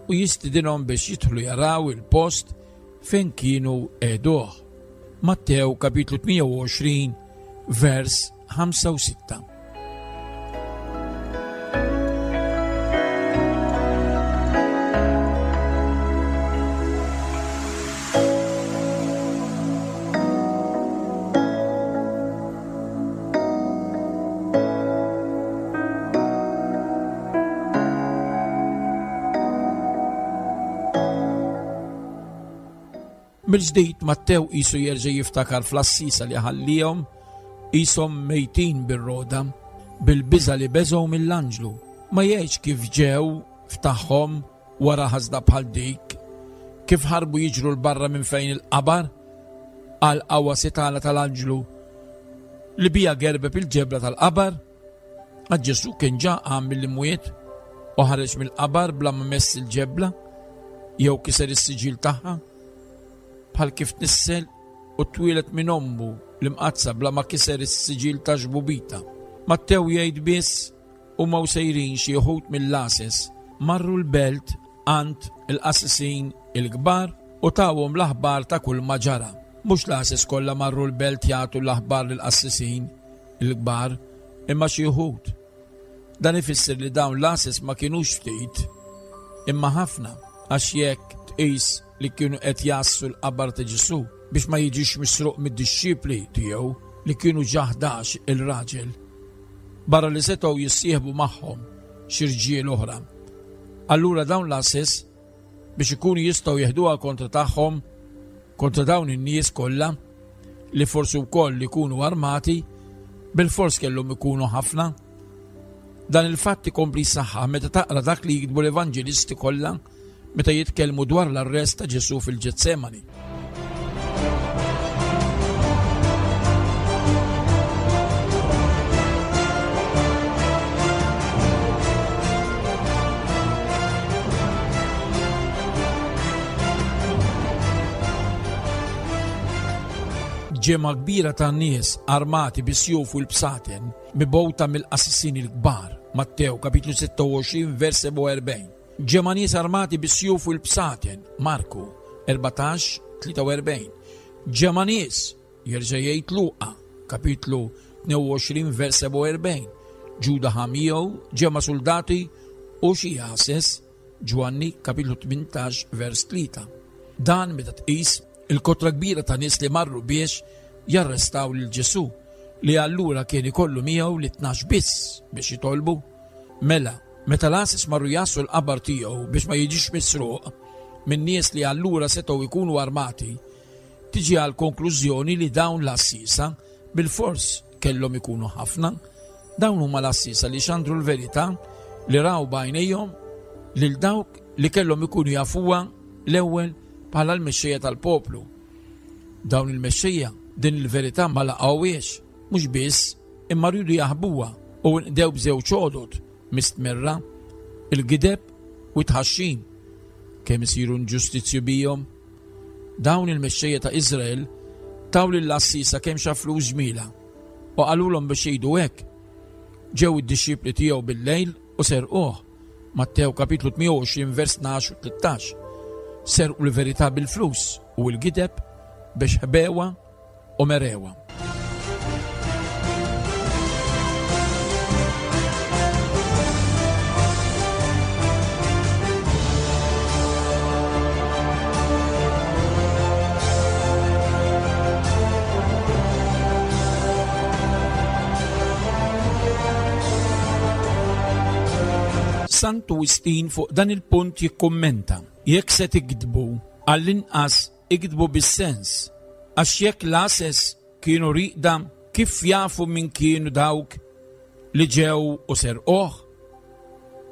u jistidinhom biex jidħlu jaraw il-post fejn kienu għeduh. Mattew kapitlu tmienja u għoxrin vers ħamsa u sitta. Mill-ġdid Mattew qisu jerġa' jiftakar fl-għassiesa li ħallihom qishom mejtin bir-roda, bil-biża' li beżgħu mill-anġlu. Ma jgħidx kif ġew ftaħhom wara ħasda bħal dik, kif ħarbu jiġru l barra minn fejn il-qabar għal qawwa setgħana tal-anġlu li bija gerbeb il-ġebla tal-qabar. Għax Ġesù kien ġa qam mill-imwiet u ħareġ mill-qabar bla ma mess il-ġebla jew kiser is-siġil tagħha, bħal kif tnissel u twieled minn ommu l-imqaddsa bla ma kiser is-siġil ta' xbubita. Mattew jgħid biss huma u sejrin xi wħud mill-għases marru l-belt għand il-qassisin il-kbar u tawhom l-aħbar ta' kull ma ġara. Mhux l-għases kollha marru l-belt jagħtu l-aħbar lill-qassisin il-kbar, imma xi wħud. Dan ifisser li dawn l-għases ma kinux ftit, imma ħafna, għax jekk tqis li kienu qed jgħassu l-qabar ta' Ġesù biex ma jiġix misruq mid-dixxipli tiegħu li kienu ġa ħdax il-raġel, barra li setgħu jissieħbu magħhom xi rġiel oħra. Allura dawn l-għases biex ikunu jistgħu jeħduha kontra tagħhom, kontra dawn in-nies kollha li forsi wkoll ikunu armati, bil-fors kellhom ikunu ħafna. Dan il-fatt ikompli jsaħħaħ meta taqra dak li jiktbu l-evanġelisti kollha meta jitkellmu dwar l-arrest ta' Ġesù fil-Ġetsemani. Ġemgħa kbira ta' nies armati bi sjuf u l-bsaten mibgħuta mill-qassisin il-kbar Mattew kapitlu sitta u għoxrin vers sebgħa u erbgħin. Ġemgħa nies armati bis-sjuf u l-bsaten, Marku erbatax tlieta u erbgħin. Ġemgħa nies, jerġa' jgħid Luqa, kapitlu tnejn u għoxrin vers sebgħa u erbgħin. Ġuda ħa miegħu ġemgħa soldati u xi għases, Ġwanni kapitlu tmintax vers tlieta. Dan meta tqis il-kotra kbira ta' nies li marru biex jarrestaw lil Ġesu, li allura kien ikollu miegħu lit-tnax biss biex jitolbu. Mela, meta l-għases marru jgħassu l-qabar tiegħu biex ma jiġix misruq minn nies li allura setgħu jkunu armati, tiġi għal konklużjoni li dawn l-għassisa bil-fors kellhom ikunu ħafna. Dawn huma l-għassisa li xandru l-verità li raw b'għajnejhom lil dawk li kellhom ikunu jafuha l-ewwel bħala l-mexxejja tal-poplu. Dawn il-mexxejja din il-verità ma laqgħuhiex, mhux biss imma rridu jaħbuha u nqdew b'żewġ għodod mistmerra, il-gideb u t-tħaxxin. Kemm isiru inġustizzju bihom? Dawn il-mexxejja ta' Iżrael taw lill-għassisa kemm xa flus ġmila u qalulhom biex jgħidu hekk: "Ġew id-dixxipli tiegħu bil-lejl u serquh." Mattew kapitlu tmienja u għoxrin vers tnax u tlettax. Serqu l-verità bil-flus u l-gideb biex ħbewha u merewha. Santu Wistin fuq dan il-punt jikkummenta: "Jekk se tiktbu, għall-inqas iktbu bis-sens, għax jekk l-għases kienu rieqda, kif jafu min kienu dawk li ġew u serquh?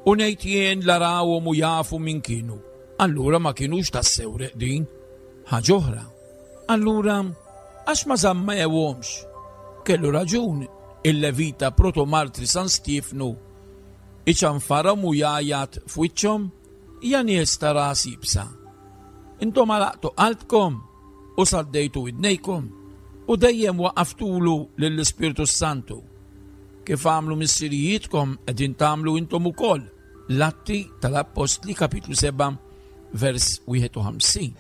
U ngħid jien la rawhom u jafu min kienu, allura ma kienux tassew reqdin. Ħaġa oħra, allura għax ma żammewhomx?" Kellu raġun il-Levita Protomartri San Stiefnu iċanfarhom u jgħajjat f'wiċċhom: "Ja nies ta' ras iebsa. Intom għalaqtu qalbkom u saddejtu widnejkom u dejjem waqaftulu lill-Ispirtu Santu. Kif għamlu missirijietkom qegħdin tagħmlu intom ukoll." L-Atti tal-Appostli kapitlu seba' vers wieħed u ħamsin.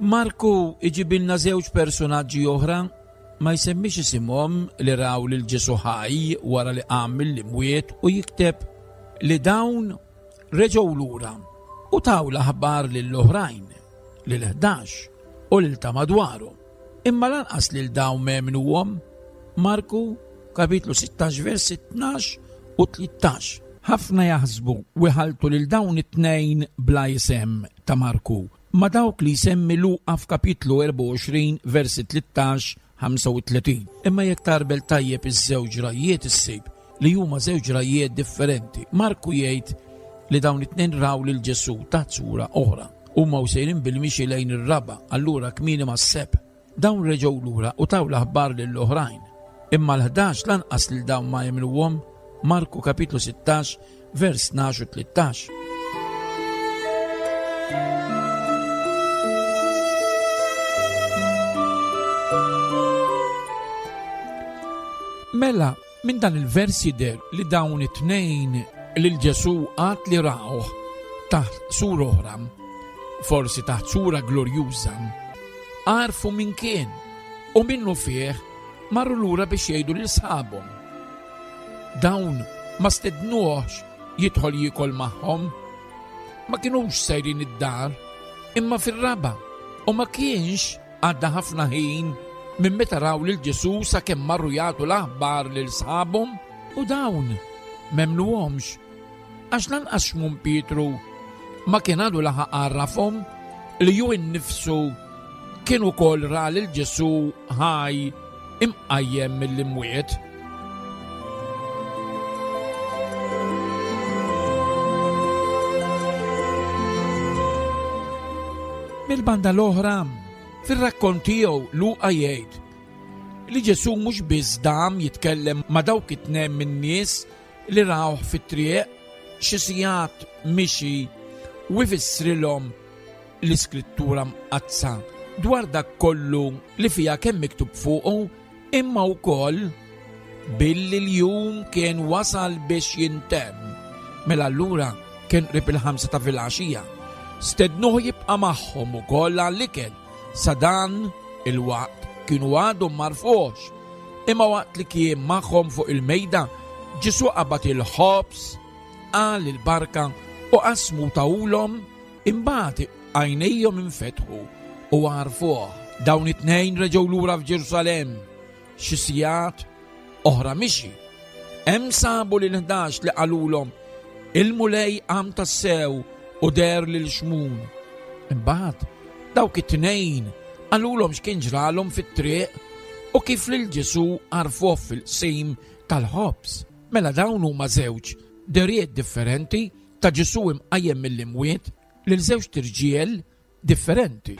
Marku iġibilna żewġ personaġġi oħra, ma jsemmix isimhom, li raw lil Ġesu ħaj wara li qam mill-imwiet u jikteb li dawn reġgħu lura u taw l-aħbar lill-oħrajn, lil ħdax u lil ta' madwaru. Imma lanqas lil dawn m'emmnuhom. Marku kapitlu sittax vers tnax u tlettax. Ħafna jaħsbu u jħalltu lil dawn it-tnejn bla isem ta' Marku ma' dawk li jsemmi Luqa f'kapitlu erbgħa u għoxrin versi tlettax ħamsa u tletin. Imma jekk tgħarbel tajjeb iż-żewġ ġrajjiet issib li huma żewġ ġrajjiet differenti. Marku jgħid li dawn it-tnejn raw lil Ġesu taħt sura oħra. Huma u sejrin bil-mixi lejn ir-raba', allura kmieni mas-sebħ. Dawn reġgħu lura u taw l-aħbar lill-oħrajn. Imma l-ħdax lanqas lil dawn ma emmnuhom. Marku kapitlu sittax vers tnax u tlettax. Mela, minn dan il-vers jidher li dawn it-tnejn lil Ġesu għad li rawh taħt sura oħra, forsi taħt sura glorjuża, għarfu min kien u minnu fih marru lura biex jgħidu lil sħabhom. Dawn ma stednuhx jidħol jiekol magħhom, ma kinux sejrin id-dar, imma fir-raba, u ma kienx għadda ħafna ħin minn meta raw lil Ġesu sakemm marru jagħtu l-aħbar lil sħabhom u dawn m'emmnuhomx, għax lanqas Xmun Pietru ma kien għadu laħaq għarrafhom li hu innifsu kien ukoll ra lil Ġesu ħaj imqajjem mill-imwiet. Mill-banda l-oħra, fir-rakkont tiegħu Luqa jgħid li Ġesù mhux biss dam jitkellem ma' dawk it-tnejn min-nies li rawh fit-triq xi sigħat mixi u jfissrilhom l-Iskrittura Mqaddsa dwar dak kollu li fiha kemm miktub fuqu, imma wkoll billi l-jum kien wasal biex jintemm. Mela allura kien qrib il-ħamsa ta' filgħaxija. Stednuh jibqa' magħhom ukoll għall-ikel. Sa dan il-waqt kienu għadhom m'għarfuhx. Imma waqt li kien magħhom fuq il-mejda, Ġesù qabad il-ħobż, qal il-barka u qasmu tawulhom, imbagħad għajnejhom infetħu u għarfuh. Dawn it-tnejn reġgħu lura f'Ġerusalemm xi sigħat oħra mixi. Hemm sabu lil ħdax li qalulhom, il-Mulej qam tassew u deher lil Xmun. Imbagħad dawk it-tnejn qalulhom x'kien ġralhom fit-triq u kif lil Ġesù għarfuh fil-qsim tal-ħobż. Mela dawn huma żewġ derijiet differenti ta' Ġesù imqajjem mill-imwiet lil żewġ tirġiel differenti.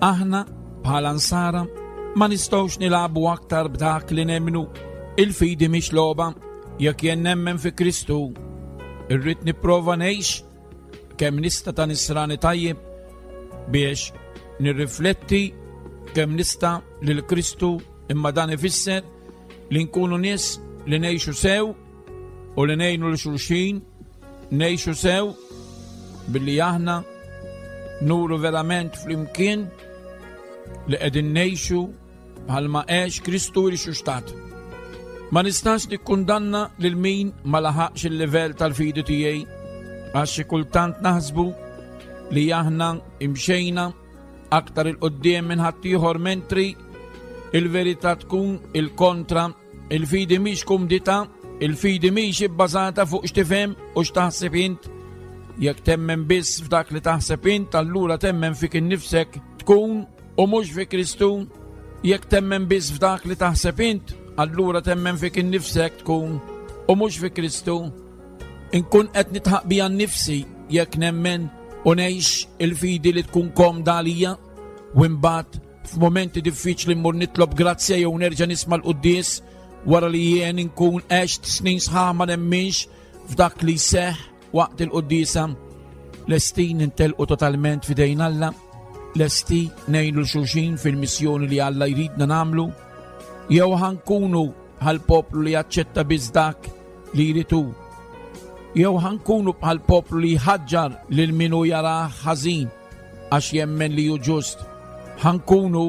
Aħna bħala nsara ma nistgħux nilagħbu aktar b'dak li nemmnu. Il-fidi mhix logħba. Jekk jien nemmen fi Kristu, irrid nipprova ngħix kemm nista' ta' nisrani tajjeb biex nirrifletti kemm nista' lil Kristu, imma dan ifisser li nkunu nies li ngħixu sew u li ngħinu lil xulxin, ngħixu sew billi aħna nuru verament flimkien li qegħdin ngħixu bħalma għex Kristu rixuxtat. Ma nistax nikkundanna lil min ma laħaqx il-livell tal-fidi tiegħi, għax xi kultant naħsbu li aħna imxejna aktar il-qudiem minn ħaddieħor, mentri il-verità tkun il-kontra. Il-fidi mhix kumdità, il-fidi mhix ibbażata fuq x'tifhem u x'taħseb int. Jekk temmen biss f'dak li taħseb int, allura temmen fik innifsek tkun u mhux fi Kristu. Jekk temmen biss f'dak li taħseb int, allura temmen fik innifsek tkun u mhux fi Kristu. Inkun qed nitħaq bija nnifsi jekk nemmen u ngħix il-fidi li tkun komda għalija, u imbagħad f'momenti diffiċli mmur nitlob grazzja jew nerġa' nisma' l-quddies wara li jien inkun għext snin sħaħ ma nemminx f'dak li jseħħ waqt il-quddiesa. Lesti nintelqu totalment f'idejn Alla, lesti ngħinu l xulxin fil-missjoni li Alla jridna nagħmlu, jew ħankunu bħal poplu li jaċċetta biss dak li jrid hu, jew ħankunu bħal poplu li jħaġġar lil min hu jarah ħażin għax jemmen li hu ġust. Ħankunu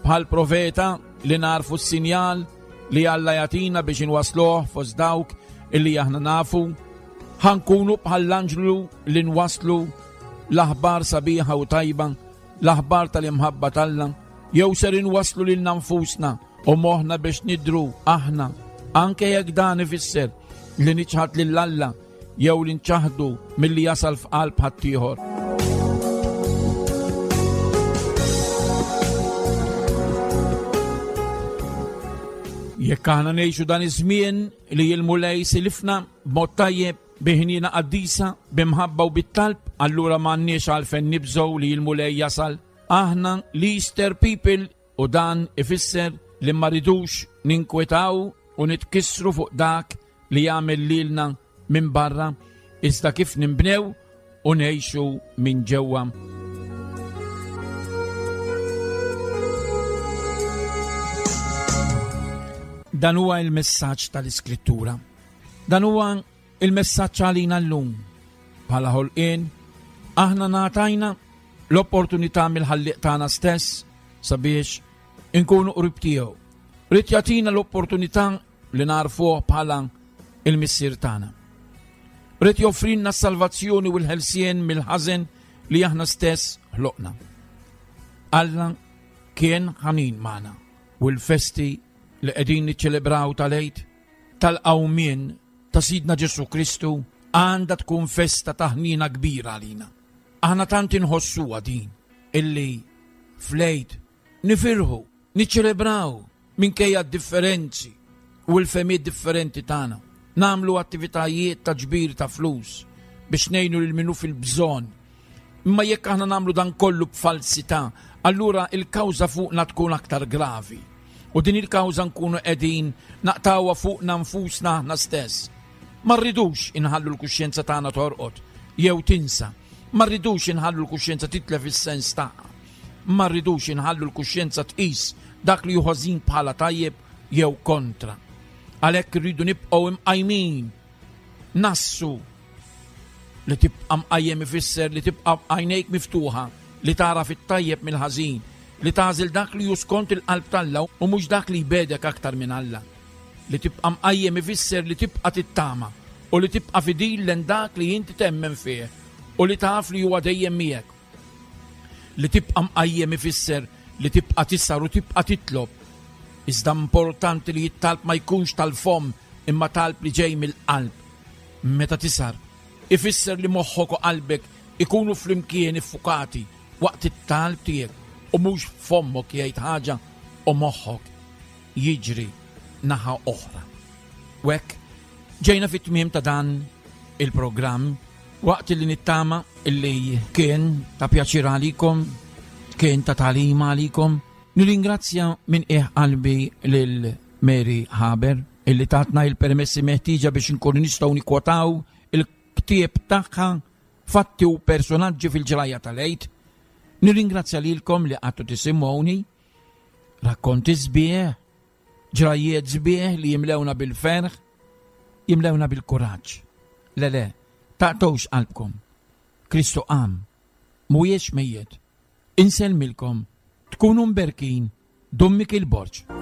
bħal profeta li narfu s-sinjal li Alla jagħtina biex inwasluh fost dawk illi aħna nafu. Ħankunu bħall-anġlu li nwaslu l-aħbar sabiħa u tajba, l-aħbar tal-imħabba t'Alla, jew ser inwaslu lilna nfusna u moħħna biex nidru aħna, anke jekk dan ifisser li niċħad lil Alla jew li nċaħdu milli jasal f'qalb ħaddieħor. Jekk aħna ngħixu dan iż-żmien li l-Mulej silifna b'mod tajjeb, bi ħniena qaddisa, b'imħabba u bit-talb, allura m'għandniex għalfejn nibżgħu li l-Mulej jasal. Aħna l-Easter people, u dan ifisser li ma rridux ninkwetaw u nitkissru fuq dak li jagħmel lilna minn barra, iżda kif ninbnew u ngħixu minn ġewwa. Dan huwa il-messaġġ tal-Iskrittura. Dan huwa il-messaġġ għalina llum. Bħala ħolqien, aħna ngħatajna l-opportunità mill-ħallieq tagħna stess sabiex inkunu qrib tiegħu. Rid jagħtina l-opportunità li narfuh bħala il-missier tagħna. Rid joffrilna s-salvazzjoni u l-ħelsien mill-ħażen li aħna stess ħloqna. Alla kien ħanin magħna u l-festi li qegħdin niċċelebraw tal-Għid tal-qawmien ta' Sidna Ġesù Kristu għandha tkun festa ta' ħnina kbira għalina. Aħna tant inħossuha din illi fl-Għid nifirħu, niċċelebraw minkejja d-differenzi u l-fehmiet differenti tagħna. Nagħmlu attivitajiet ta' ġbir ta' flus biex ngħinu lil min hu fil-bżonn. Imma jekk aħna nagħmlu dan kollu b'falsità, allura il-kawża fuqna tkun aktar gravi. U din il-kawża nkunu qegħdin naqtgħuha fuqna nfusna aħna stess. Ma rridux inħallu l-kuxjenza tagħna torqod jew tinsa. Ma rridux inħallu l-kuxjenza titlef is-sens tagħha. Ma rridux inħallu l-kuxjenza tqis dak li hu ħażin bħala tajjeb jew kontra. Għalhekk irridu nibqgħu imqajmin. Nassu li tibqa' mqajjem ifisser li tibqa' għajnejk miftuħa, li tara fit-tajjeb mill-ħażin, li tagħżel dak li hu skont il-qalb t'Alla u mhux dak li jbegħdek aktar minn Alla. Li tibqa' mqajjem ifisser li tibqa' tittama u li tibqa' fidil lejn dak li inti temmen fih u li taf li huwa dejjem miegħek. Li tibqa' mqajjem ifisser li tibqa' tisar u tibqa' titlob. Iżda importanti li t-talb ma jkunx tal-fomm imma talb li ġej mill-qalb. Meta tisar, ifisser li moħħok u qalbek ikunu flimkien iffukati waqt it-talb tiegħek u mhux fommok jgħid ħaġa u moħħok jiġri naħa oħra. U hekk ġejna fit-tmiem ta' dan il-programm waqt li nittama illi kien ta' pjaċir għalikom, kien ta' tagħlim għalikom. Nirringrazzja minn qiegħ qalbi lil Mary Haber illi tatna il-permessi meħtieġa biex nkunu nistgħu nikkwotaw il-ktieb tagħha Fatti u personaġġi fil-ġrajja tal-Għid. Nirringrazzja lilkom li qgħadtu tisimgħuni, rakkonti sbieħ, ġrajjiet sbieħ li jimlewna bil-ferħ, jimlewna bil-kuraġġ. Le le, taqtgħux qalbkom. Kristu qam, mhuwiex mejjet. Insellmilkom, tkunu mberkin, Dun Mikiel Borg.